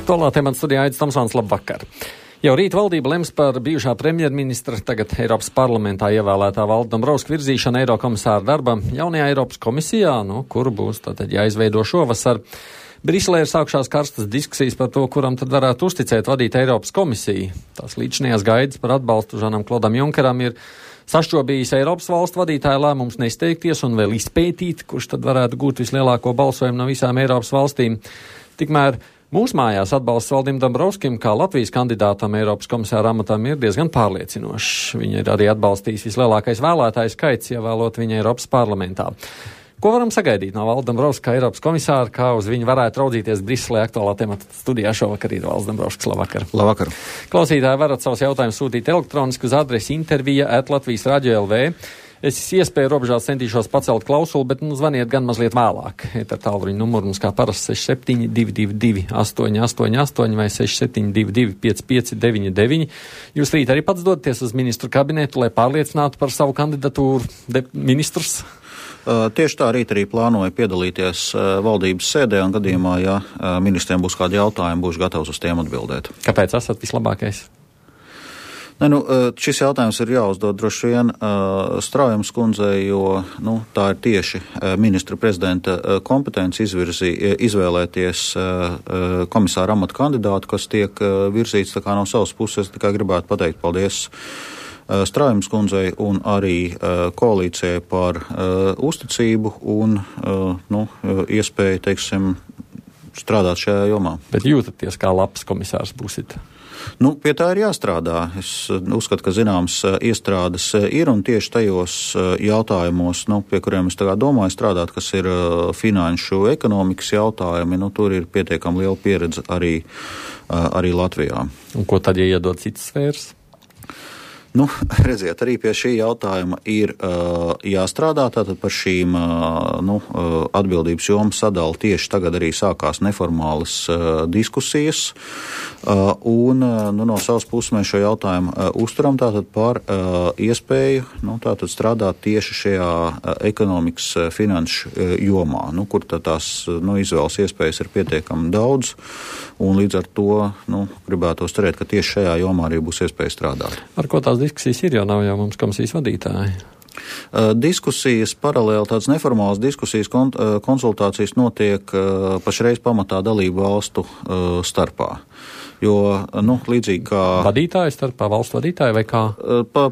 Aktuālā temata studijā Aidis Tomsons, labvakar. Jau rīt valdība lems par bijušā premjerministra, tagad Eiropas parlamentā ievēlētā Valda Dombrovska virzīšanu Eirokomisāra darbam jaunajā Eiropas komisijā, kuru būs tātad jāizveido šovasar. Briselē ir sākušās karstas diskusijas par to, kuram tad varētu uzticēt vadīt Eiropas komisiju. Tās līdzinājās gaidas par atbalstu Žanam Klodam Junkeram ir sašķobījis Eiropas valstu vadītāja lēmums nesteigties un vēl izpētīt, kurš tad varētu gūt vislielāko balsojumu no visām Eiropas valstīm. Tikmēr mūsu mājās atbalsts Valdim Dombrovskim kā Latvijas kandidātam Eiropas komisāra amatam ir diezgan pārliecinošs. Viņa ir arī atbalstījis vislielākais vēlētāju skaits, ievēlot viņa Eiropas parlamentā. Ko varam sagaidīt no Valda Dombrovska kā Eiropas komisāra, kā uz viņu varētu raudzīties Briselē aktuālā temata studijā šovakar ir Valds Dombrovskis. Labvakar. Labvakar. Klausītāji varat savus jautājumus sūtīt elektroniski uz adresi intervija@Latvijas Radio LV. Es iespēju robežās centīšos pacelt klausuli, bet zvaniet gan mazliet vēlāk. Ar tālruņa numuru mums kā parasti 6722 888 vai 6722 5599. Jūs rīt arī pats dodaties uz ministru kabinetu, lai pārliecinātu par savu kandidatūru ministrus? Tieši tā rīt arī plānoju piedalīties valdības sēdē un gadījumā, ja ministriem būs kādi jautājumi, būšu gatavs uz tiem atbildēt. Kāpēc esat vislabākais? Šis jautājums ir jāuzdod droši vien Straujams kundzei, jo tā ir tieši ministra prezidenta kompetence izvēlēties komisāra amata kandidātu, kas tiek virzīts. Tā kā no savas puses tikai gribētu pateikt paldies Straujams kundzei un arī koalīcijai par uzticību un iespēju, strādāt šajā jomā. Bet jūtaties, kā labs komisārs būsit? Pie tā ir jāstrādā. Es uzskatu, ka zināms iestrādes ir un tieši tajos jautājumos, pie kuriem es tagad domāju strādāt, kas ir finanšu ekonomikas jautājumi, tur ir pietiekami liela pieredze arī Latvijā. Un ko tad, ja iedod citas sfēras? Redziet, arī pie šī jautājuma ir jāstrādā, tātad par šīm atbildības jomu sadali tieši tagad arī sākās neformālas diskusijas, un no savas puses mēs šo jautājumu uzturam tātad par iespēju tātad strādāt tieši šajā ekonomikas finanšu jomā, kur tās izvēles iespējas ir pietiekami daudz, un līdz ar to gribētu cerēt, ka tieši šajā jomā arī būs iespēja strādāt. Ar ko tās diskusijas ir, jo nav jau mums komisijas vadītāji? Diskusijas paralēli, tādas neformālas diskusijas, konsultācijas notiek pašreiz pamatā dalību valstu starpā. Jo, līdzīgi kā vadītāju starpā, valstu vadītāju vai kā?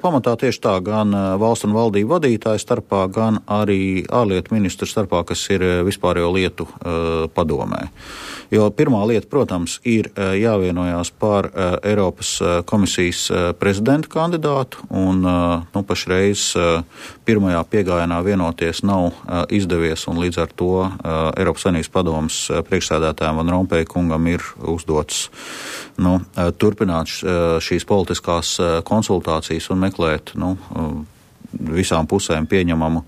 Pamatā tieši tā, gan valstu un valdību vadītāju starpā, gan arī ārlietu ministru starpā, kas ir vispārējo lietu padomē. Jo pirmā lieta, protams, ir jāvienojās par Eiropas komisijas prezidenta kandidātu, un pašreiz pirmajā piegājienā vienoties nav izdevies, un līdz ar to Eiropas Savienības padomes priekšsēdētājiem Van Rompuy kungam ir uzdots turpināt šīs politiskās konsultācijas un meklēt visām pusēm pieņemamu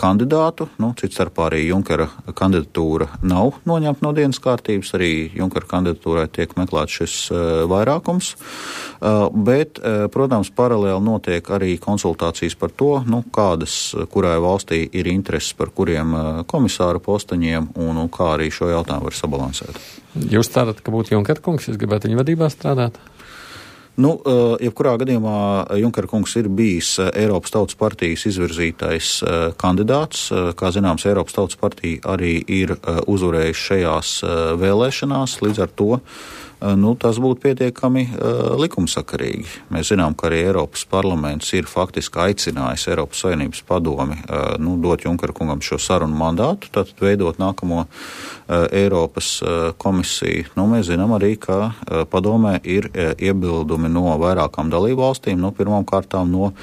kandidātu. Cits starpā arī Junkera kandidatūra nav noņemta no dienas kārtības, arī Junkera kandidatūrai tiek meklēts šis vairākums, bet, protams, paralēli notiek arī konsultācijas par to, kurai valstī ir intereses par kuriem komisāra posteņiem un kā arī šo jautājumu var sabalansēt. Jūs cerat, ka būtu Junkera kungs, jūs gribētu viņa vadībā strādāt? Jebkurā gadījumā Junkera kungs ir bijis Eiropas Tautas partijas izvirzītais kandidāts. Kā zināms, Eiropas Tautas partija arī ir uzvarējuši šajās vēlēšanās, līdz ar to tas būtu pietiekami likumsakarīgi. Mēs zinām, ka arī Eiropas parlaments ir faktiski aicinājis Eiropas Savienības padomi dot Junkera kungam šo sarunu mandātu, tātad veidot nākamo Eiropas komisiju. Mēs zinām arī, ka padomē ir iebildumi no vairākām dalību valstīm, pirmām kārtām no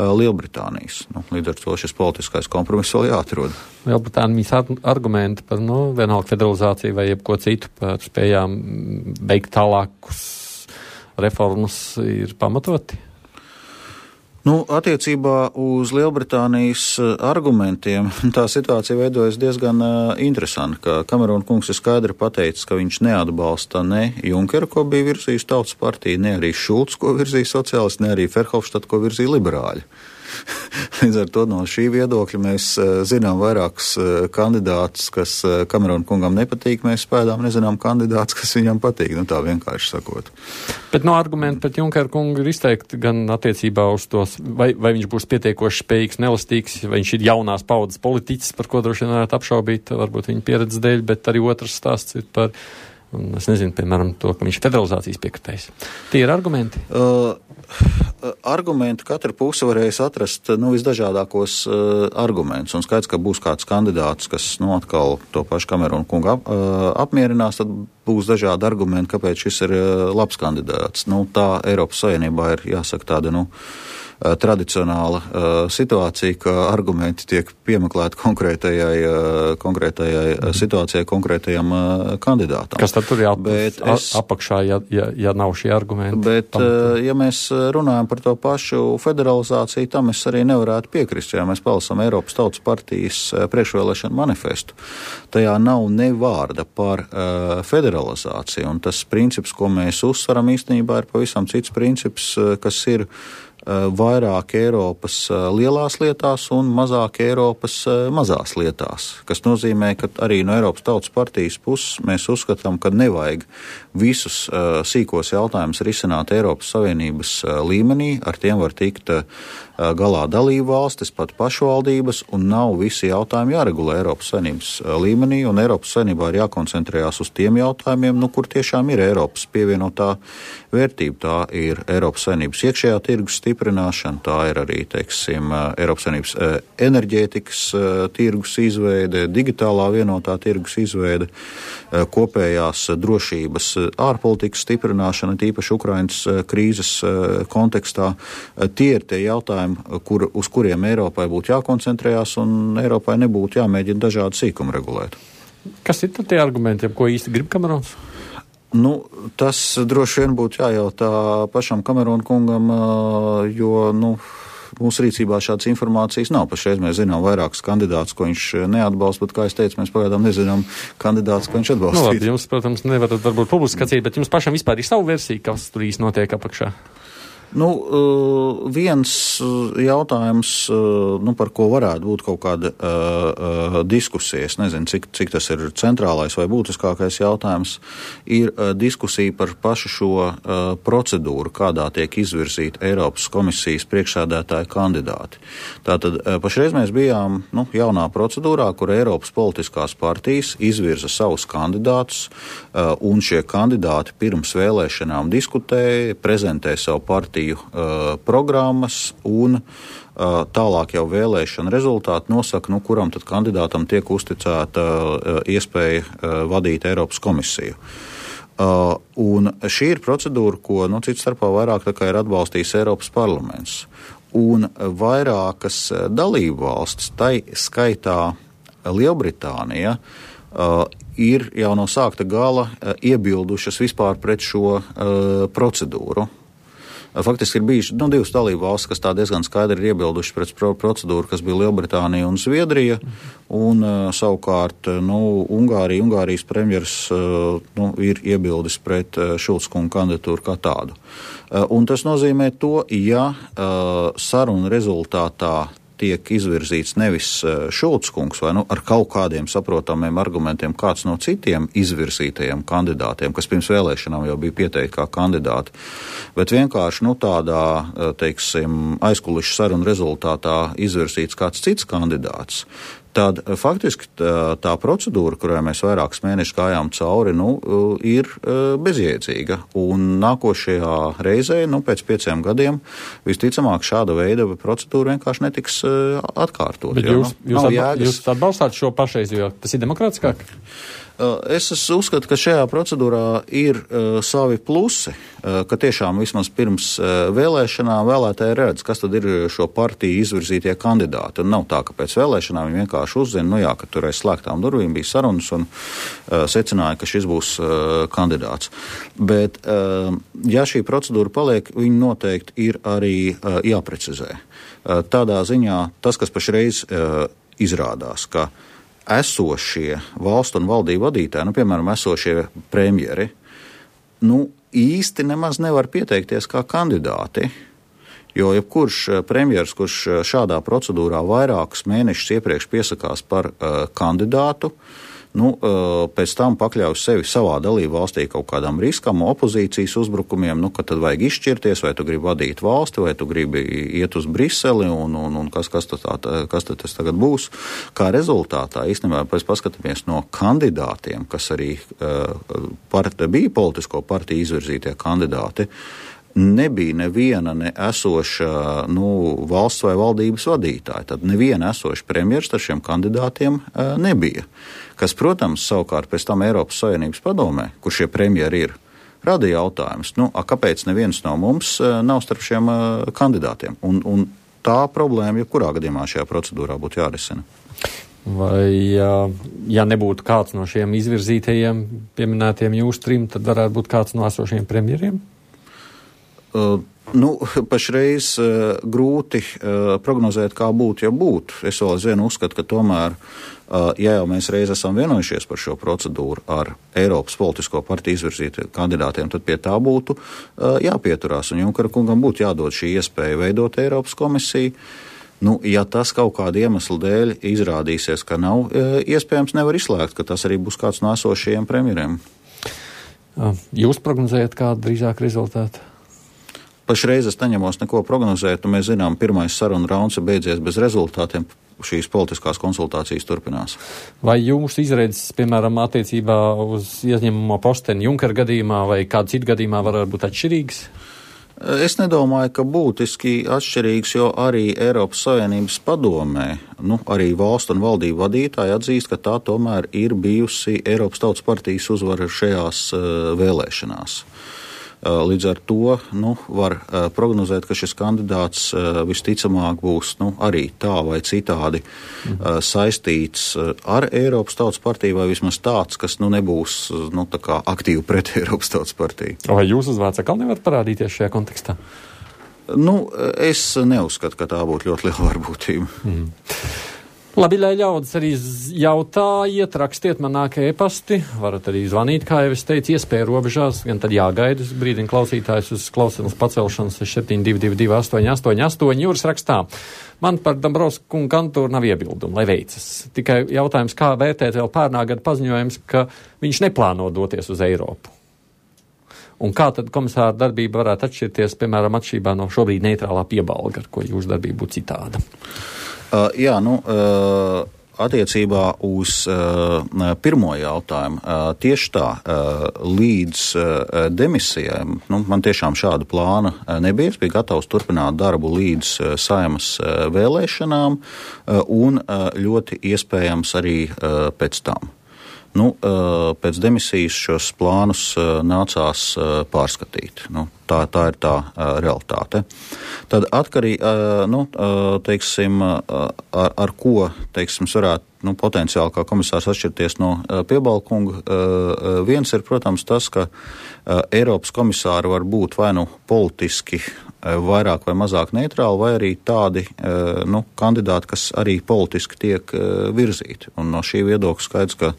Lielbritānijas. Līdz ar to šis politiskais kompromiss vēl jāatrod. Lielbritānijas argumenti par vienalga federalizāciju vai jebko citu par spējām veikt tālākus reformas ir pamatoti? Attiecībā uz Lielbritānijas argumentiem tā situācija veidojas diezgan interesanti, ka Kamerona kungs ir skaidri pateicis, ka viņš neatbalsta ne Junkeru, ko bija virzījis Tautas partija, ne arī Šulcs, ko virzīja sociālisti, ne arī Ferhofstadt, ko virzīja liberāļi. Līdz ar to no šī viedokļa mēs zinām vairākus kandidātus, kas Kamerona kungam nepatīk, mēs spēdām nezinām kandidātus, kas viņam patīk, tā vienkārši sakot. Bet argumenti pret Junkeru kungu ir izteikti gan attiecībā uz tos, vai viņš būs pietiekoši spējīgs, nelastīgs, vai viņš ir jaunās paudzes politiķis, par ko droši vien varētu apšaubīt, varbūt viņa pieredzes dēļ, bet arī otrs stāsts ir par, es nezinu, piemēram, to, ka viņš ir federalizācijas piekritējs. Tie ir argumenti? Argumenti katra puse varēs atrast visdažādākos argumentus, un skaidrs, ka būs kāds kandidāts, kas atkal to pašu Kamerona kungu apmierinās, tad būs dažādi argumenti, kāpēc šis ir labs kandidāts. Tā Eiropas Savienībā ir, jāsaka, tāda, tradicionāla situācija, ka argumenti tiek piemeklēti konkrētajai situācijai, konkrētajam kandidātam. Kas tad tur apakšā, ja nav šie argumenti? Bet, ja mēs runājam par to pašu federalizāciju, tam es arī nevarētu piekrist, ja mēs palasām Eiropas Tautas partijas priekšvēlēšanu manifestu. Tajā nav ne vārda par federalizāciju, un tas princips, ko mēs uzsveram īstenībā, ir pavisam cits princips, kas ir vairāk Eiropas lielās lietās un mazāk Eiropas mazās lietās, kas nozīmē, ka arī no Eiropas Tautas partijas puses mēs uzskatām, ka nevajag visus sīkos jautājumus risināt Eiropas Savienības līmenī, ar tiem var tikt galā dalību valstis, pat pašvaldības, un nav visi jautājumi jāregulē Eiropas Savienības līmenī, un Eiropas Savienībā ir jākoncentrējās uz tiem jautājumiem, kur tiešām ir Eiropas pievienotā vērtība. Tā ir Eiropas Savienības iekšējā tirgus stiprināšana, tā ir arī, Eiropas Savienības enerģētikas tirgus izveide, digitālā vienotā tirgus izveide, kopējās drošības ārpolitikas stiprināšana, tīpaši Ukrainas krīzes kontekstā. Tie ir tie jautājumi, uz kuriem Eiropai būtu jākoncentrējās, un Eiropai nebūtu jāmēģina dažādi sīkumi regulēt. Kas ir tad tie argumenti, ko īsti grib Kamerons? Tas droši vien būtu jājautā pašam Kamerona kungam, jo, mūsu rīcībā šādas informācijas nav. Pašreiz mēs zinām vairākus kandidātus, ko viņš neatbalsta, bet, kā es teicu, mēs pagaidām nezinām kandidātus, ko viņš atbalstīs. Labi, jums, protams, nevarat varbūt publiskācīt, bet jums pašam vispār ir savu versiju, kas tur īsti notiek apakšā? Viens jautājums, par ko varētu būt kaut kāda diskusija, es nezinu, cik tas ir centrālais vai būtiskākais jautājums, ir diskusija par pašu šo procedūru, kādā tiek izvirzīta Eiropas komisijas priekšsēdētāja kandidāti. Tātad pašreiz mēs bijām jaunā procedūrā, kur Eiropas politiskās partijas izvirza savus kandidātus, un šie kandidāti pirms vēlēšanām diskutē, prezentē savu partiju programmas un tālāk jau vēlēšana rezultāti nosaka, kuram tad kandidātam tiek uzticēta iespēja vadīt Eiropas komisiju. Un šī ir procedūra, ko cits starpā vairāk ir atbalstījis Eiropas parlaments. Un vairākas dalību valstis, tai skaitā Lielbritānija, ir jau no sākta gala iebildušas vispār pret šo procedūru. Faktiski ir bijuši divas dalību valstis, kas tā diezgan skaidri ir iebilduši pret procedūru, kas bija Lielbritānija un Zviedrija, un savukārt Ungārijas premjers ir iebildis pret Šulca kunga kandidatūru kā tādu. Un tas nozīmē to, ja sarunu rezultātā tiek izvirzīts nevis Šulca kungs vai ar kaut kādiem saprotamiem argumentiem kāds no citiem izvirzītajiem kandidātiem, kas pirms vēlēšanām jau bija pieteikti kā kandidāti, bet vienkārši tādā, aizkulišu sarunu rezultātā izvirzīts kāds cits kandidāts, tad faktiski tā procedūra, kurai mēs vairākus mēnešus gājām cauri, ir bezjēdzīga. Un nākošajā reizē, pēc 5 gadiem, visticamāk šāda veida procedūra vienkārši netiks atkārtot. Bet jūs atbalstāt šo pašreiz, jo tas ir demokrātiskāk? Es uzskatu, ka šajā procedūrā ir savi plusi, ka tiešām vismaz pirms vēlēšanām vēlētāji redz, kas tad ir šo partiju izvirzītie kandidāti. Un nav tā, ka pēc vēlēšanām viņi vienkārši uzzina, ka tur aiz slēgtām durvīm bija sarunas un secināja, ka šis būs kandidāts. Bet, ja šī procedūra paliek, viņi noteikti ir arī jāprecizē. Tādā ziņā tas, kas pašreiz izrādās, ka esošie valstu un valdību vadītāji, piemēram, esošie premjeri, īsti nemaz nevar pieteikties kā kandidāti, jo jebkurš premjers, kurš šādā procedūrā vairākus mēnešus iepriekš piesakās par kandidātu, pēc tam pakļauj sevi savā dalību valstī kaut kādam riskam, opozīcijas uzbrukumiem, ka tad vajag izšķirties, vai tu gribi vadīt valsti, vai tu gribi iet uz Briseli, un kas tad tas tagad būs. Kā rezultātā, īstenībā, pēc paskatāmies no kandidātiem, kas arī bija politisko partiju izvirzītie kandidāti, nebija neviena esoša valsts vai valdības vadītāja. Tad neviena esoša premjers ar šiem kandidātiem nebija. Kas, protams, savukārt pēc tam Eiropas Savienības padomē, kur šie premjeri ir, rada jautājumus, kāpēc neviens no mums nav starp šiem kandidātiem. Un tā problēma, jebkurā gadījumā šajā procedūrā būtu jārisina. Vai, ja nebūtu kāds no šiem izvirzītajiem pieminētiem jūsu trim, tad varētu būt kāds no esošiem premjeriem? Pašreiz grūti prognozēt, kā būtu, ja būtu. Es vēl aizvien uzskatu, ka tomēr, ja jau mēs reiz esam vienojušies par šo procedūru ar Eiropas politisko partiju izvirzītiem kandidātiem, tad pie tā būtu jāpieturās. Un Junkera kungam būtu jādod šī iespēja veidot Eiropas komisiju. Ja tas kaut kāda iemesla dēļ izrādīsies, ka nav iespējams, nevar izslēgt, ka tas arī būs kāds no esošajiem premjeriem. Jūs prognozējat kādu drīzāk rezultātu? Pašreiz es neņemos neko prognozēt, un mēs zinām, pirmais saruna rauns ir beidzies bez rezultātiem, šīs politiskās konsultācijas turpinās. Vai jūsu izredzes, piemēram, attiecībā uz ieņemamo posteni Junkera gadījumā vai kādu citu gadījumā varētu būt atšķirīgas? Es nedomāju, ka būtiski atšķirīgs, jo arī Eiropas Savienības padomē, arī valstu un valdību vadītāji atzīst, ka tā tomēr ir bijusi Eiropas Tautas partijas uzvara šajās vēlēšanās. Līdz ar to var prognozēt, ka šis kandidāts visticamāk būs arī tā vai citādi saistīts ar Eiropas Tautas partiju, vai vismaz tāds, kas nebūs tā kā aktīvi pret Eiropas Tautas partiju. Vai jūsu uzvārds atkal nevar parādīties šajā kontekstā? Es neuzskatu, ka tā būtu ļoti liela varbūtība. Labi, lai ļaudis arī jautājiet, rakstiet man nāk e-pasti, varat arī zvanīt, kā jau es teicu, iespēja robežās, gan tad jāgaida uz brīdini klausītājs uz klausīšanas pacelšanas 6722 888. Jūras rakstā. Man par Dombrovska kunga kandidātūru nav iebildumu, lai veicas. Tikai jautājums, kā vērtēt vēl pērnā gada paziņojums, ka viņš neplāno doties uz Eiropu. Un kā tad komisāra darbība varētu atšķirties, piemēram, atšķirībā no šobrīd neitrālā piebalga, ar ko jūsu darbība būtu citāda? Attiecībā uz pirmo jautājumu, tieši tā, līdz demisijai, man tiešām šāda plāna nebija. Es biju gatavs turpināt darbu līdz Saeimas vēlēšanām un ļoti iespējams arī pēc tam. Pēc demisijas šos plānus nācās pārskatīt. Tā ir tā realitāte. Tad atkarīgi, ar ko, varētu potenciāli kā komisārs atšķirties no Piebalkunga. Viens ir, protams, tas, ka Eiropas komisāri var būt vai politiski vairāk vai mazāk neitrāli, vai arī tādi kandidāti, kas arī politiski tiek virzīti. Un no šī viedokļa skaidrs, ka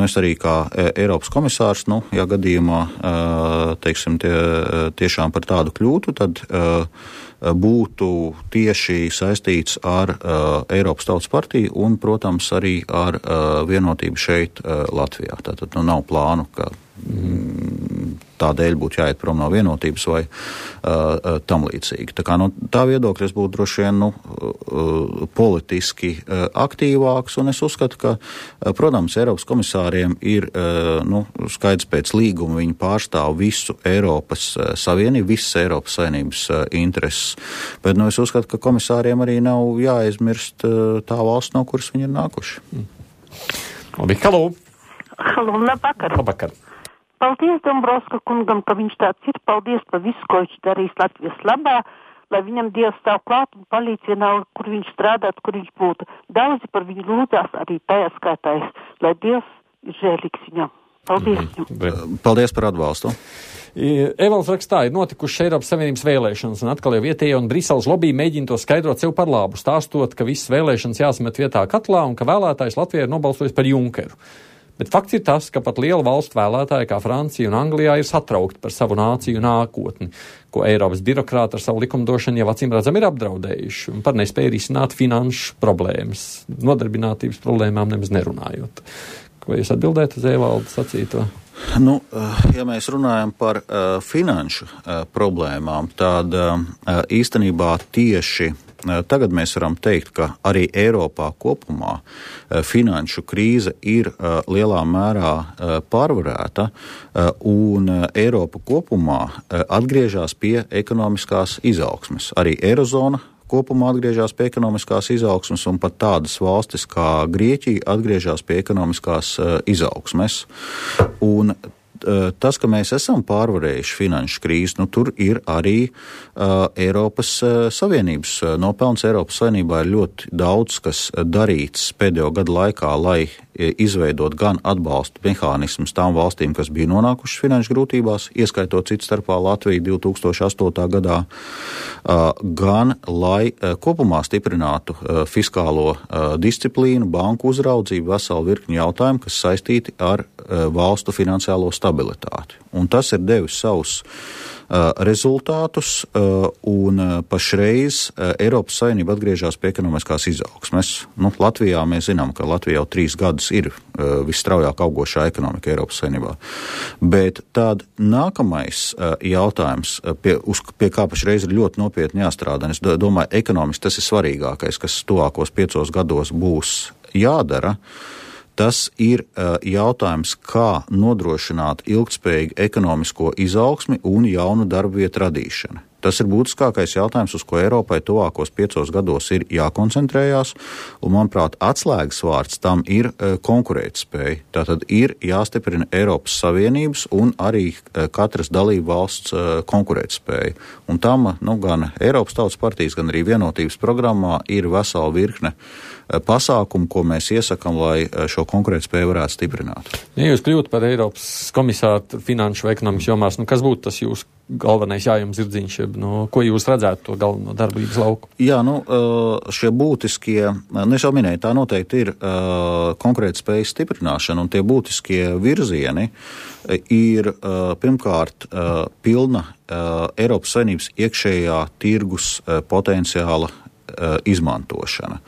es arī kā Eiropas komisārs, ja gadījumā, tiešām par tādu kļūtu, tad būtu tieši saistīts ar Eiropas Tautas partiju un, protams, arī ar vienotību šeit Latvijā. Tātad nav plānu, ka tādēļ būtu jāiet prom no vienotības vai tam līdzīgi. Tā kā tā viedokļa es būtu droši vien politiski aktīvāks, un es uzskatu, ka, protams, Eiropas komisāriem ir skaidrs pēc līguma, viņi pārstāv visu Eiropas Savienību, visas Eiropas Savienības intereses, bet es uzskatu, ka komisāriem arī nav jāaizmirst tā valsts, no kuras viņi ir nākuši. Labi, halo! Halo, labvakar. Labvakar. Paldies Dombrovska kungam, ka viņš tāds ir. Paldies par visu, ko viņš darīs Latvijas labā, lai viņam Dievs stāv klāt un palīdz vienalga, kur viņš strādāt, kur viņš būtu. Daudzi par viņu lūdzās, arī tajā skaitājs, lai Dievs ir žēlīgs viņam. Paldies viņam. Paldies par atbalstu. Evalds rakstā, ir notikušas Eiropas Savienības vēlēšanas, un atkal jau vietējie un Briseles lobby mēģina to skaidrot sev par labu, stāstot, ka visas vēlēšanas jāsamet vietā katlā un ka vēlētājs Latvijā ir nobalsojis par Junkeru. Bet fakts ir tas, ka pat liela valstu vēlētāji kā Francija un Anglijā ir satraukti par savu nāciju nākotni, ko Eiropas birokrāti ar savu likumdošanu jau acīm redzam ir apdraudējuši un par nespēju risināt finanšu problēmas, nodarbinātības problēmām nemaz nerunājot. Vai jūs atbildētu uz Evalda sacīto? Nu, ja mēs runājam par finanšu problēmām, tad īstenībā tieši tagad mēs varam teikt, ka arī Eiropā kopumā finanšu krīze ir lielā mērā pārvarēta, un Eiropa kopumā atgriežas pie ekonomiskās izaugsmes. Arī Eirozona kopumā atgriežas pie ekonomiskās izaugsmes, un pat tādas valstis kā Grieķija atgriežas pie ekonomiskās izaugsmes. Un tas, ka mēs esam pārvarējuši finanšu krīzi, nu tur ir arī Eiropas Savienības nopelns. Eiropas Savienībā ir ļoti daudz, kas darīts pēdējo gadu laikā, lai izveidot gan atbalstu mehānismus tām valstīm, kas bija nonākušas finanšu grūtībās, ieskaitot citu starpā Latviju 2008. gadā, gan lai kopumā stiprinātu fiskālo disciplīnu, banku uzraudzību, veselu virkni jautājumu, kas saistīti ar valstu finansiālo stabilitāti. Un tas ir devis savus rezultātus, un pašreiz Eiropas Savienība atgriežas pie ekonomiskās izaugsmes. Nu, Latvijā mēs zinām, ka Latvija jau 3 gadus ir visstraujāk augošā ekonomika Eiropas Savienībā. Bet tad nākamais jautājums, pie kā pašreiz ir ļoti nopietni jāstrādā, es domāju, ekonomiski tas ir svarīgākais, kas tuvākos 5 gados būs jādara. Tas ir jautājums, kā nodrošināt ilgtspējīgu ekonomisko izaugsmi un jaunu darba vietu radīšanu. Tas ir būtiskākais jautājums, uz ko Eiropai tuvākos 5 gados ir jākoncentrējās, un, manuprāt, atslēgas vārds tam ir konkurētspēja. Tātad ir jāstiprina Eiropas Savienības un arī katras dalību valsts konkurētspēja. Un tam, gan Eiropas Tautas partijas, gan arī vienotības programmā ir vesela virkne pasākumu, ko mēs iesakam, lai šo konkurētspēju varētu stiprināt. Ja jūs kļūtu par Eiropas komisāru finanšu vai ekonomikas jomās, kas būtu tas jūsu galvenais jājums zirdziņš, ko jūs redzētu to galveno darbības lauku? Jā, šie būtiskie, es jau minēju, tā noteikti ir konkurētspējas stiprināšana, un tie būtiskie virzieni ir pirmkārt pilna Eiropas Savienības iekšējā tirgus potenciāla izmantošana.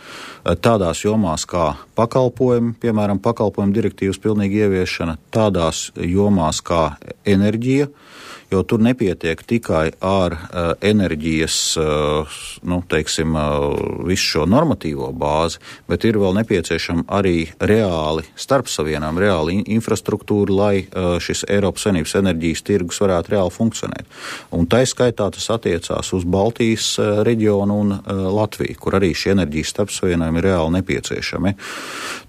Tādās jomās kā pakalpojumi, piemēram, pakalpojumu direktīvas pilnīga ieviešana, tādās jomās kā enerģija, jo tur nepietiek tikai ar enerģijas, visu šo normatīvo bāzi, bet ir vēl nepieciešama arī reāli starpsavienām, reāli infrastruktūra, lai šis Eiropas Savienības enerģijas tirgus varētu reāli funkcionēt. Un tai skaitā tas attiecās uz Baltijas reģionu un Latviju, kur arī šie enerģijas starpsavienojumi ir reāli nepieciešami.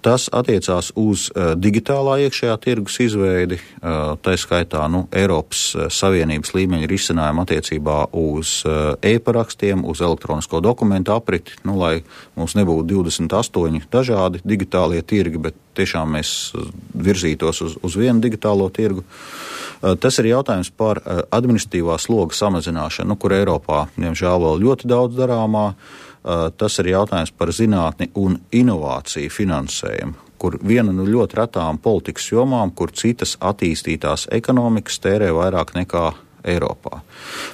Tas attiecās uz digitālā iekšējā tirgus izveidi, tai skaitā Eiropas Savienības līmeņa risinājumu attiecībā uz e-parakstiem, uz elektronisko dokumentu apriti, lai mums nebūtu 28 dažādi digitālie tirgi, bet tiešām mēs virzītos uz vienu digitālo tirgu. Tas ir jautājums par administratīvā sloga samazināšanu, kur Eiropā, diemžēl, vēl ļoti daudz darāmā. Tas ir jautājums par zinātni un inovāciju finansējumu, kur viena no ļoti retām politikas jomām, kur citas attīstītās ekonomikas tērē vairāk nekā Eiropā.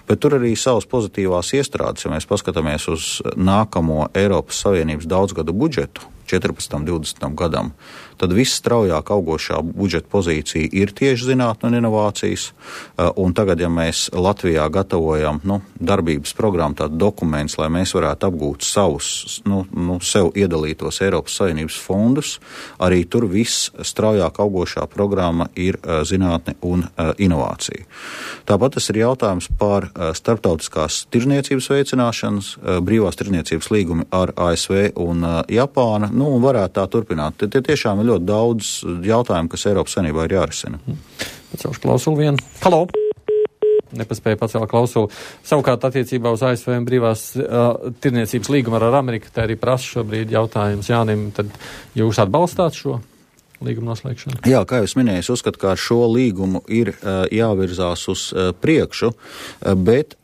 Bet tur arī savas pozitīvās iestrādes, ja mēs paskatāmies uz nākamo Eiropas Savienības daudzgadu budžetu 14-20 gadam, tad visstraujāk augošā budžeta pozīcija ir tieši zinātne un inovācijas. Un tagad, ja mēs Latvijā gatavojam darbības programmu, tādu dokumentus, lai mēs varētu apgūt savus, sev iedalītos Eiropas Savienības fondus, arī tur visstraujāk augošā programma ir zinātne un inovācija. Tāpat tas ir jautājums par starptautiskās tirdzniecības veicināšanas, brīvās tirdzniecības līgumi ar ASV un Japānu. un varētu tā turpināt. Tie tiešām ir ļoti daudz jautājumu, kas Eiropas Savienībā ir jārisina. Pacelšu klausulu vienu. Halo! Nepaspēja pacelt klausulu. Savukārt attiecībā uz ASV brīvās tirniecības līgumu ar Ameriku, tā arī prasa šobrīd jautājums Jānim, tad jūs atbalstāt šo līguma noslēgšanu? Jā, kā jūs minējāt, uzskatu, ka ar šo līgumu ir jāvirzās uz priekšu, bet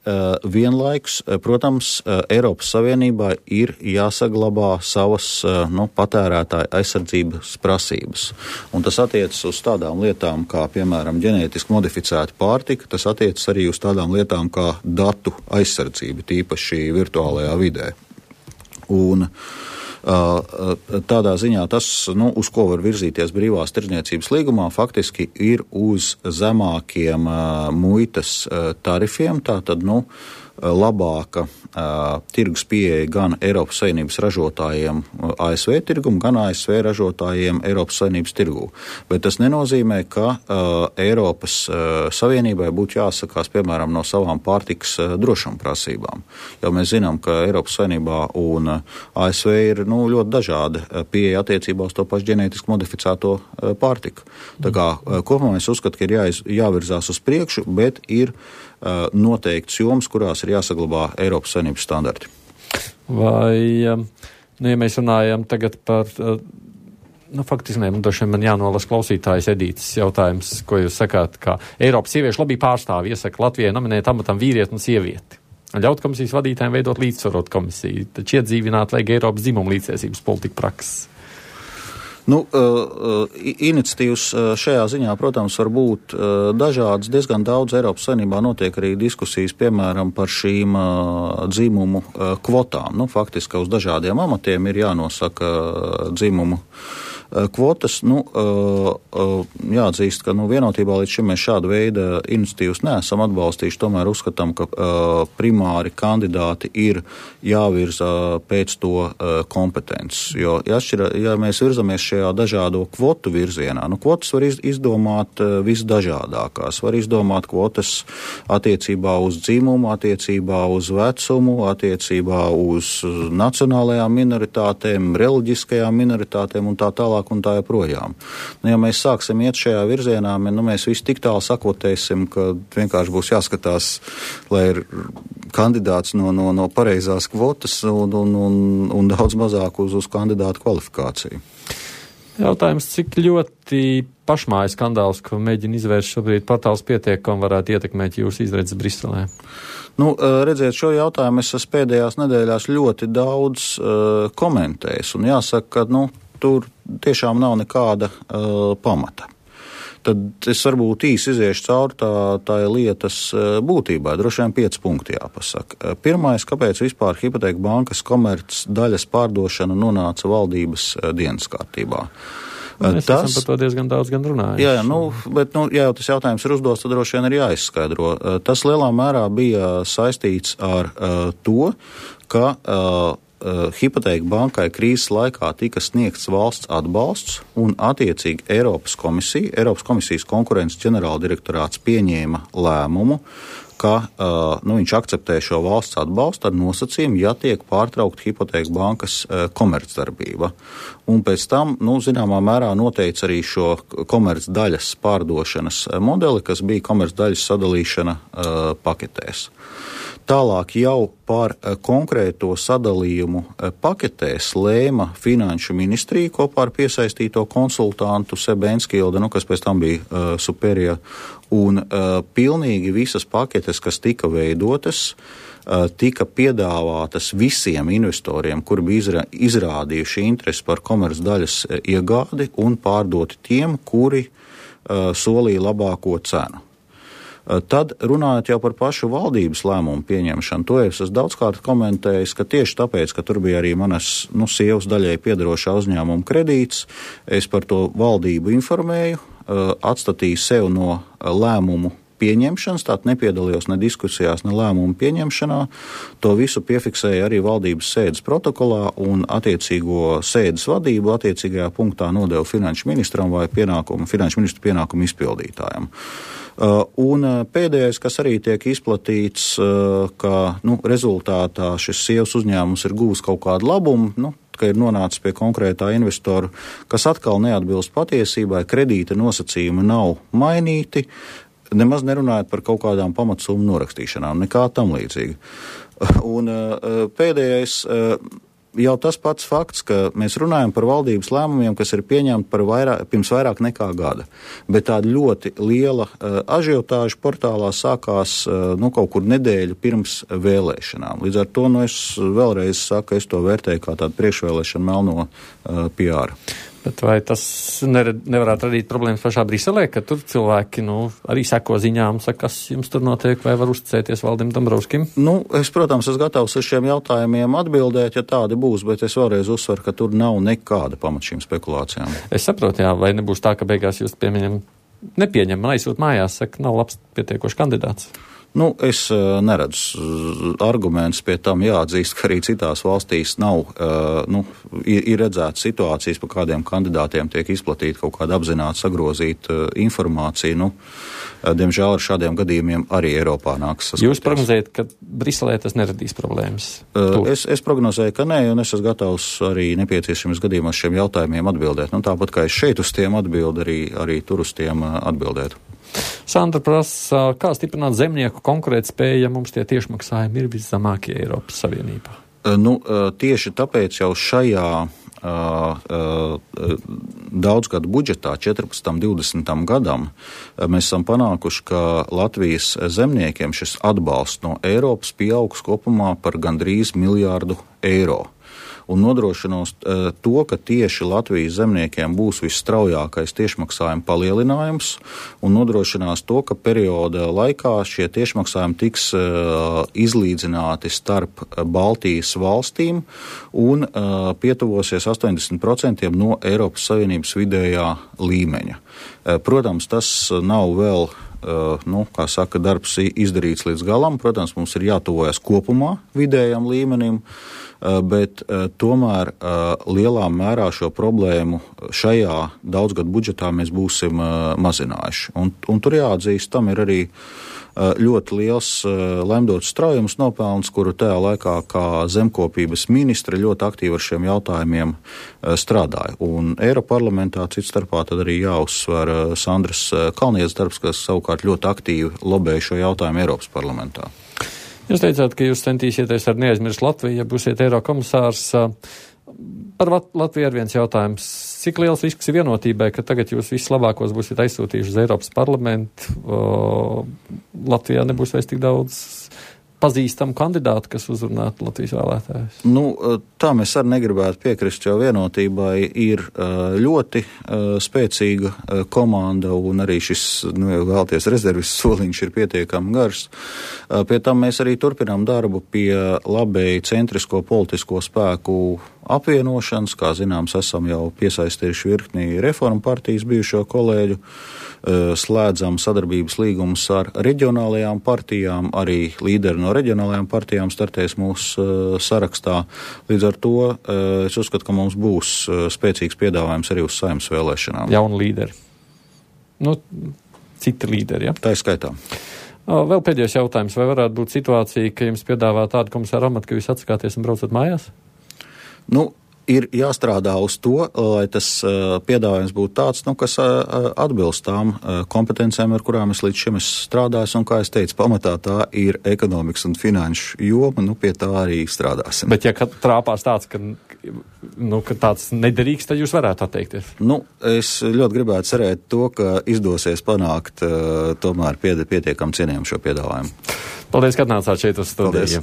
vienlaikus, protams, Eiropas Savienībā ir jāsaglabā savas patērētāja aizsardzības prasības. Un tas attiecas uz tādām lietām, kā, piemēram, ģenētiski modificēta pārtika, tas attiecas arī uz tādām lietām, kā datu aizsardzība, tīpaši virtuālajā vidē. Un tādā ziņā tas, uz ko var virzīties brīvās tirdzniecības līgumā, faktiski ir uz zemākiem muitas tarifiem, tātad, labāka tirgus pieeja gan Eiropas Savienības ražotājiem ASV tirgumu, gan ASV ražotājiem Eiropas Savienības tirgū. Bet tas nenozīmē, ka Eiropas Savienībai būtu jāsakās, piemēram, no savām pārtikas drošuma prasībām. Jo mēs zinām, ka Eiropas Savienībā un ASV ir ļoti dažāda pieeja attiecībā uz to pašu ģenētiski modificēto pārtiku. Tā kā kopumā es uzskatu, ka ir jāvirzās uz priekšu, bet ir noteikts joms, kurās ir jāsaglabā Eiropas Savienības standarti. Vai, ja mēs runājam tagad par, faktiski droši vien man jānolas klausītājas Edītas jautājums, ko jūs sakāt, kā Eiropas sieviešu lobby pārstāvi iesaka Latvijai nominēt amatam vīrieti un sievieti. Ļaut komisijas vadītājiem veidot līdzsvarot komisiju, taču iedzīvināt vajag Eiropas dzimumu līdztiesības politika prakses. Iniciatīvas šajā ziņā, protams, var būt dažādas. Diezgan daudz Eiropas Savienībā notiek arī diskusijas, piemēram, par šīm dzimumu kvotām. Faktiski uz dažādiem amatiem ir jānosaka dzimumu kvotas. Jāatzīst, ka vienotībā līdz šim mēs šādu veidu iniciatīvas neesam atbalstījuši. Tomēr uzskatām, ka primāri kandidāti ir jāvirza pēc to kompetences. Jo, ja mēs virzamies šajā dažādo kvotu virzienā, kvotas var izdomāt visdažādākās. Var izdomāt kvotas attiecībā uz dzimumu, attiecībā uz vecumu, attiecībā uz nacionālajām minoritātēm, reliģiskajām minoritātēm un tā tālāk un tā joprojām. Ja mēs sāksim iet šajā virzienā, mēs visi tik tālu sakotēsim, ka vienkārši būs jāskatās, lai ir kandidāts no pareizās kvotas un daudz mazāk uz kandidātu kvalifikāciju. Jautājums, cik ļoti pašmājas skandāls, ko mēģina izvērst šobrīd portāls Pietiekam, varētu ietekmēt jūsu izredzes Briselē? Redziet, šo jautājumu es pēdējās nedēļās ļoti daudz komentējis, un jāsaka, ka tur tiešām nav nekāda pamata. Tad es varbūt īsi iziešu cauri tā lietas būtībā. Droši vien 5 punkti jāpasaka. Pirmais, kāpēc vispār Hipoteka bankas komerc daļas pārdošana nonāca valdības dienas kārtībā? Mēs esam par to diezgan daudz gan runājuši. Jā, bet ja jau tas jautājums ir uzdots, tad droši vien ir jāizskaidro. Tas lielā mērā bija saistīts ar to, ka Hipoteka bankai krīzes laikā tika sniegts valsts atbalsts un attiecīgi Eiropas komisijas konkurences ģenerāldirektorāts pieņēma lēmumu, ka viņš akceptē šo valsts atbalstu ar nosacījumu, ja tiek pārtraukta Hipoteka bankas komercdarbība. Un pēc tam, zināmā mērā noteica arī šo komercdaļas pārdošanas modeli, kas bija komercdaļas sadalīšana paketēs. Tālāk jau par konkrēto sadalījumu paketēs lēma Finanšu ministrija kopā ar piesaistīto konsultantu Sebu Enskilde, kas pēc tam bija Superija, un pilnīgi visas paketes, kas tika veidotas, tika piedāvātas visiem investoriem, kuri bija izrādījuši interesi par komercdaļas iegādi un pārdoti tiem, kuri solīja labāko cenu. Tad runājot jau par pašu valdības lēmumu pieņemšanu, to es esmu daudzkārt komentējis, ka tieši tāpēc, ka tur bija arī manas sievas daļai piedarošā uzņēmuma kredīts, es par to valdību informēju, atstatīju sev no lēmumu pieņemšanas, tātad nepiedalījos ne diskusijās, ne lēmumu pieņemšanā. To visu piefiksēja arī valdības sēdes protokolā un attiecīgo sēdes vadību attiecīgajā punktā nodeva finanšu ministram vai finanšu ministru pienākumu izpildītājam. Un pēdējais, kas arī tiek izplatīts, ka rezultātā šis sievas uzņēmums ir guvis kaut kādu labumu, ka ir nonācis pie konkrētā investoru, kas atkal neatbilst patiesībai, kredīta nosacījumi nav mainīti, nemaz nerunājot par kaut kādām pamatsummu norakstīšanām, nekā tam līdzīga. Un pēdējais jau tas pats fakts, ka mēs runājam par valdības lēmumiem, kas ir pieņemti pirms vairāk nekā gada. Bet tāda ļoti liela ažiotāža portālā sākās kaut kur nedēļu pirms vēlēšanām. Līdz ar to es vēlreiz saku, ka es to vērtēju kā tādu priekšvēlēšanu melno PR. Bet vai tas nevarētu radīt problēmas pašā Briselē, ka tur cilvēki arī seko ziņām, saka, kas jums tur notiek, vai var uzticēties Valdim Dombrovskim? Es, protams, esmu gatavs uz šiem jautājumiem atbildēt, ja tādi būs, bet es vēlreiz uzsveru, ka tur nav nekāda pamata šīm spekulācijām. Es saprotu, jā, vai nebūs tā, ka beigās jūs nepieņem, aizsūt mājās, saka, nav labs pietiekošs kandidāts. Es neredzu argumentus pie tam, jāatzīst, ka arī citās valstīs nav, ir redzētas situācijas, par kādiem kandidātiem tiek izplatīta kaut kāda apzināti sagrozīta informācija. Diemžēl ar šādiem gadījumiem arī Eiropā nāks saskatīties. Jūs prognozējat, ka Briselē tas neradīs problēmas? Es prognozēju, ka nē, un es esmu gatavs arī nepieciešams gadījumos šiem jautājumiem atbildēt. Tāpat kā es šeit uz tiem atbildu, arī tur uz tiem atbildētu. Sandra prasa, kā stiprināt zemnieku konkurētspēju, ja mums tie tiešmaksājumi ir viszemākie Eiropas Savienībā? Tieši tāpēc jau šajā daudzgadu budžetā 14-20 gadam mēs esam panākuši, ka Latvijas zemniekiem šis atbalsts no Eiropas pieaugs kopumā par gandrīz miljārdu eiro. Un nodrošinās to, ka tieši Latvijas zemniekiem būs visstraujākais tiešmaksājuma palielinājums un nodrošinās to, ka perioda laikā šie tiešmaksājumi tiks izlīdzināti starp Baltijas valstīm un pietuvosies 80% no Eiropas Savienības vidējā līmeņa. Protams, tas nav vēl darbs izdarīts līdz galam. Protams, mums ir jātuvojas kopumā vidējam līmenim, bet tomēr lielā mērā šo problēmu šajā daudzgadu budžetā mēs būsim mazinājuši. Un tur jāatzīst, tam ir arī ļoti liels lemdots straujums nopelns, kuru tajā laikā kā zemkopības ministre ļoti aktīvi ar šiem jautājumiem strādāja. Un Eiroparlamentā cits starpā tad arī jāuzsver Sandras Kalnietes darbs, kas savukārt ļoti aktīvi lobēja šo jautājumu Eiropas parlamentā. Jūs teicāt, ka jūs centīsieties ar neaizmirst Latviju, ja būsiet Eirokomisārs. Par Latviju ir viens jautājums. Cik liels risks ir vienotībai, ka tagad jūs vislabākos būsiet aizsūtījuši uz Eiropas parlamentu? Latvijā nebūs vairs tik daudz pazīstamu kandidātu, kas uzrunātu Latvijas vēlētājus? Tā mēs arī negribētu piekrist, jo vienotībai ir ļoti spēcīga komanda un arī šis, vēlties rezervis soliņš ir pietiekami garš. Pie tam mēs arī turpinām darbu pie labēji centrisko politisko spēku apvienošanas. Kā zināms, esam jau piesaistījuši virkni reformu partijas bijušo kolēģu, slēdzam sadarbības līgumus ar reģionālajām partijām, arī līderi no reģionālajām partijām startēs mūsu sarakstā. Līdz ar to es uzskatu, ka mums būs spēcīgs piedāvājums arī uz Saeimas vēlēšanām. Jauni līderi. Citi līderi, ja? Tā ir skaitā. Vēl pēdējais jautājums. Vai varētu būt situācija, ka jums piedāvā tādu komisāru amatu, ka jūs atsakāties un braucat mājās? Ir jāstrādā uz to, lai tas piedāvājums būtu tāds, kas atbilst tām kompetencijām, ar kurām es līdz šim esmu strādājis, un, kā es teicu, pamatā tā ir ekonomikas un finanšu joma, pie tā arī strādāsim. Bet ja trāpās tāds, ka tāds nederīgs, tad jūs varētu atteikties? Es ļoti gribētu cerēt to, ka izdosies panākt tomēr pietiekam cienījam šo piedāvājumu. Paldies, ka atnācāt šeit uz studiju.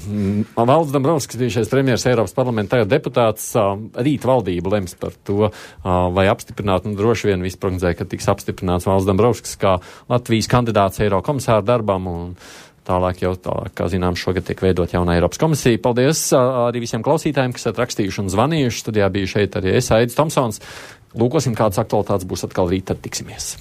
Valdis Dombrovskis, bijušais premjers Eiropas parlamentā, tagad deputāts. Rīt valdība lems par to, vai apstiprināt, droši vien visi prognozēja, ka tiks apstiprināts Valdis Dombrovskis kā Latvijas kandidāts Eirokomisāra darbam, un tālāk, kā zinām, šogad tiek veidot jauna Eiropas komisija. Paldies arī visiem klausītājiem, kas esat rakstījuši un zvanījuši. Studijā bija šeit arī es, Aidis Tomsons. Lūkosim, kādas aktualitātes būs atkal rīt, tad tiksimies.